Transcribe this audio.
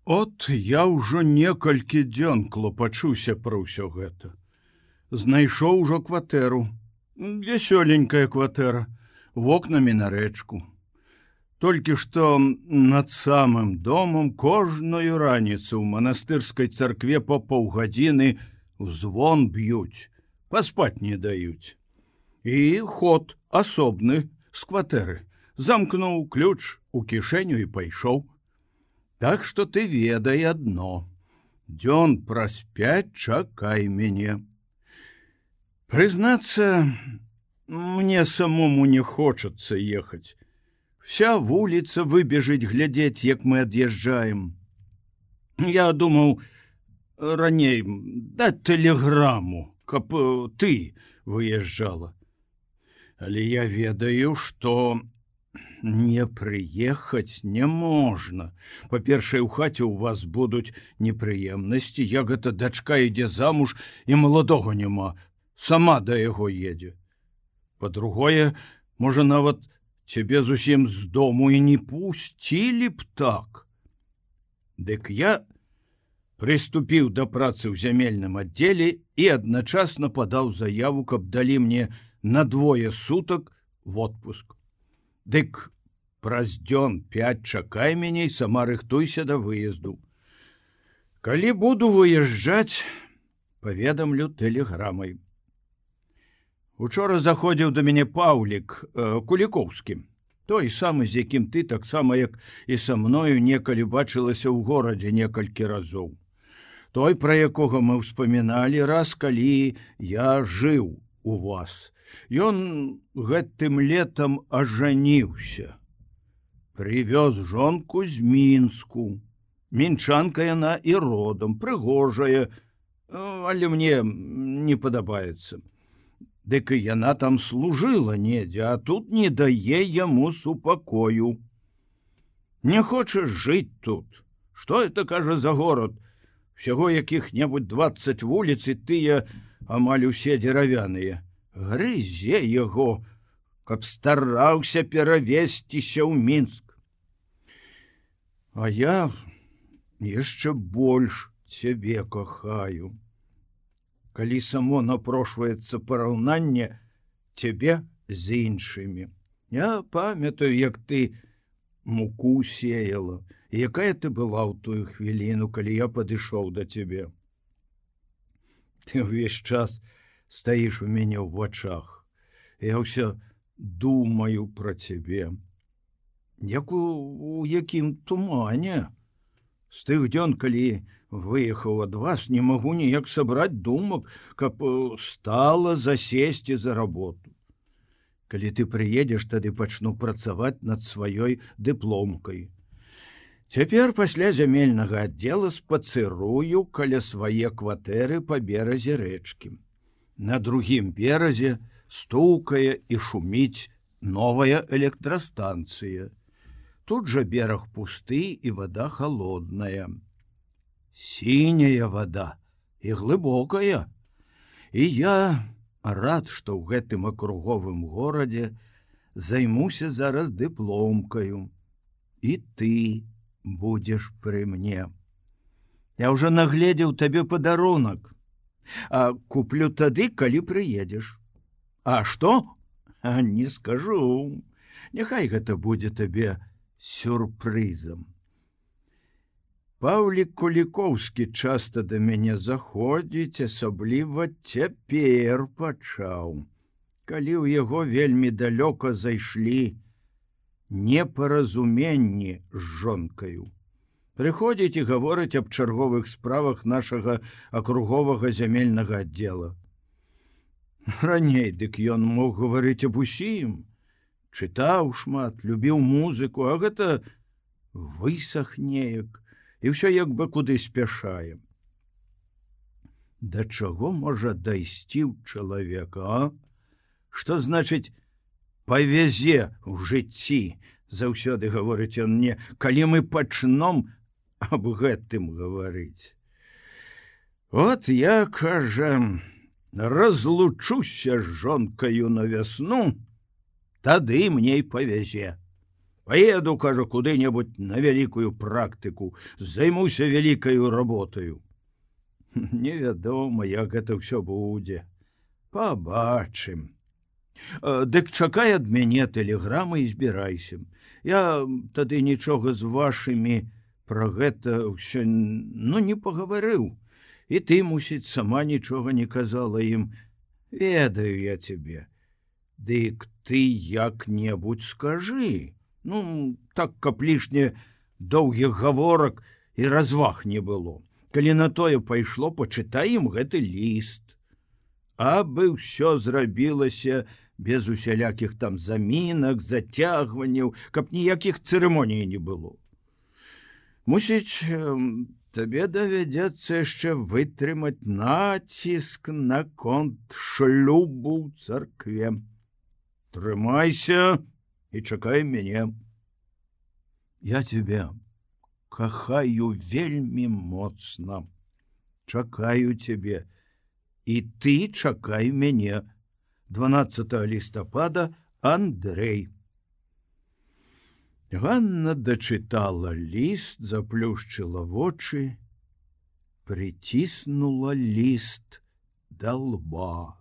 От я ўжо некалькі дзён клопачуся пра ўсё гэта. Знайшоў ужо кватэру. Вясёленькая кватэра, вокнамі на рэчку. Толькі што над самым домам кожную раніцу ў манастырскай царкве па паўгадзіны звон б'юць, паспаць не даюць. І ход асобны з кватэры. Замкнуў ключ у кішэню і пайшоў. Так што ты ведай адно. Дзён праз 5 чакай мяне. Прызнацца, мне самому не хочацца ехаць. Вся вуліца выбежыць глядзець, як мы ад'язджаем. Я думаў раней даць тэлеграму, каб ты выязджала. Але я ведаю, што не прыехаць не можна. Па-першае, у хаце ў вас будуць непрыемнасці, як гэта дачка ідзе замуж і маладога няма, сама да яго едзе. Па-другое, можа нават цябе зусім з дому і не пусцілі б так. Дык я прыступіў да працы ў зямельным аддзеле і адначасна падаў заяву, каб далі мне на 2 сутак в отпуск. Дык праз дзён 5 чакай мяне і сама рыхтуйся да выезду. Калі буду выязджаць, паведамлю тэлеграмай. Учора заходзіў да мяне Паўлік Кулікоўскі, той самы, з якім ты, таксама як і са мною некалі бачылася ў горадзе некалькі разоў. Той, пра якога мы ўспаміналі раз, калі я жыў у вас. Ён гэтым летам ажаніўся. Прывёз жонку з Мінску. Мінчанка яна і родам, прыгожая, але мне не падабаецца. Дык і яна там служыла недзе, а тут не дае яму супакою. Не хочаш жыць тут? Што это, кажа, за горад? Всяго якіх-небудзь 20 вуліц, і тыя амаль усе дзеравяныя. Грызе яго, каб стараўся перавесціся ў Мінск. А я яшчэ больш цябе кахаю. Калі само напрошваецца параўнанне цябе з іншымі. Я памятаю, як ты муку сеяла, і якая ты была ў тую хвіліну, калі я падышоў да цябе. Ты ўвесь час стаіш у мяне ў вачах. Я ўсё думаю пра цябе. Як у якім тумане. З тых дзён, калі выехаў ад вас, не магу ніяк сабраць думак, каб стала засесці за работу. Калі ты прыедзеш, тады пачну працаваць над сваёй дыпломкай. Цяпер пасля зямельнага аддзела спацырую каля свае кватэры па беразе рэчкі. На другім беразе стукае і шуміць новая электрастанцыя. Тут жа бераг пусты і вада холодная. Сіняя вода і глыбокая. І я рад, што ў гэтым акруговым горадзе займуся зараз дыпломкаю. І ты будзеш пры мне. Я ўжо нагледзеў табе падарунак. А куплю тады, калі прыедзеш. А што? Не скажу. Няхай гэта будзе табе сюрпрызам. Паўлік Кулікоўскі часта да мяне заходзіць, асабліва цяпер пачаў, калі ў яго вельмі далёка зайшлі непаразуменні з жонкаю. Прыходзіць і гаворыць аб чарговых справах нашага акруговага зямельнага аддзела. Раней дык ён мог гаварыць аб усім, чытаў шмат, любіў музыку, а гэта высах неяк. І ўсё як бы куды спяшае. Да чаго можа дайсці ў чалавека, а? Што значыць павязе ў жыцці? Заўсёды гаворыць ён мне, калі мы пачном аб гэтым гаварыць. От я, кажа, разлучуся з жонкаю на вясну, тады мне і павязе. Паеду, кажа, куды-небудзь на вялікую практыку, займуся вялікаю работаю. Невядома, як гэта ўсё будзе. Пабачым. Дык чакай ад мяне тэлеграмы і збірайся. Я тады нічога з вашымі пра гэта ўсё не пагаварыў. І ты, мусіць, сама нічога не казала ім. Ведаю я цябе. Дык ты як-небудзь скажы. Так, каб лішне доўгіх гаворак і разваг не было. Калі на тое пайшло, пачытай ім гэты ліст. Абы ўсё зрабілася без усялякіх там замінак, зацягванняў, каб ніякіх цырымоній не было. Мусіць, табе давядзецца яшчэ вытрымаць націск наконт шлюбу ў царкве. Трымайся і чакай мяне. Я цябе кахаю вельмі моцна. Чакаю цябе. І ты чакай мяне. 12 лістапада, Андрэй. Ганна дачытала ліст, заплюшчыла вочы, прыціснула ліст да лба.